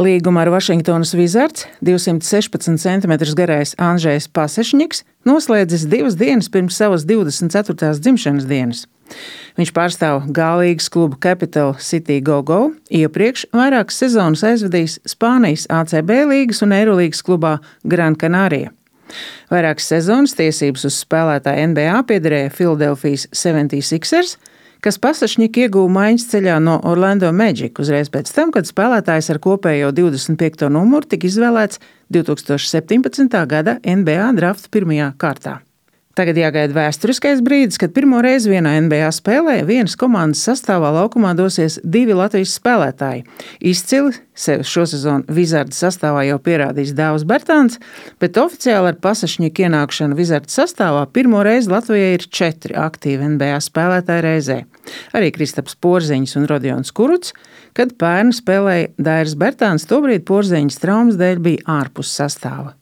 Līguma ar Vašingtonas Wizards 216 cm garais Andžejs Pasečņiks noslēdzis 2 dienas pirms savas 24. dzimšanas dienas. Viņš pārstāv G-līgas klubu Capital City Go-Go, iepriekš vairākas sezonas aizvadījis Spānijas ACB līgas un Eirolīgas klubā Gran Canaria. Vairākas sezonas tiesības uz spēlētāju NBA piederēja Philadelphijas 76ers, kas Pasečņiku ieguva maiņas ceļā no Orlando Magic uzreiz pēc tam, kad spēlētājs ar kopējo 25. numuru tika izvēlēts 2017. gada NBA drafta 1. kārtā. Tagad jāgaida vēsturiskais brīdis, kad pirmo reizi vienā NBA spēlē vienas komandas sastāvā laukumā dosies 2 Latvijas spēlētāji. Izcili sevi šosezon Wizards sastāvā jau pierādījis Dāvs Bertāns, bet oficiāli ar Pasečņiku ienākšanu Wizards sastāvā pirmo reizi Latvijai ir 4 aktīvi NBA spēlētāji reizē. Arī Kristaps Porziņš un Rodions Kurucs, kad pērn spēlēja Dairis Bertāns, tobrīd Porziņas traumas dēļ bija ārpus sastāva.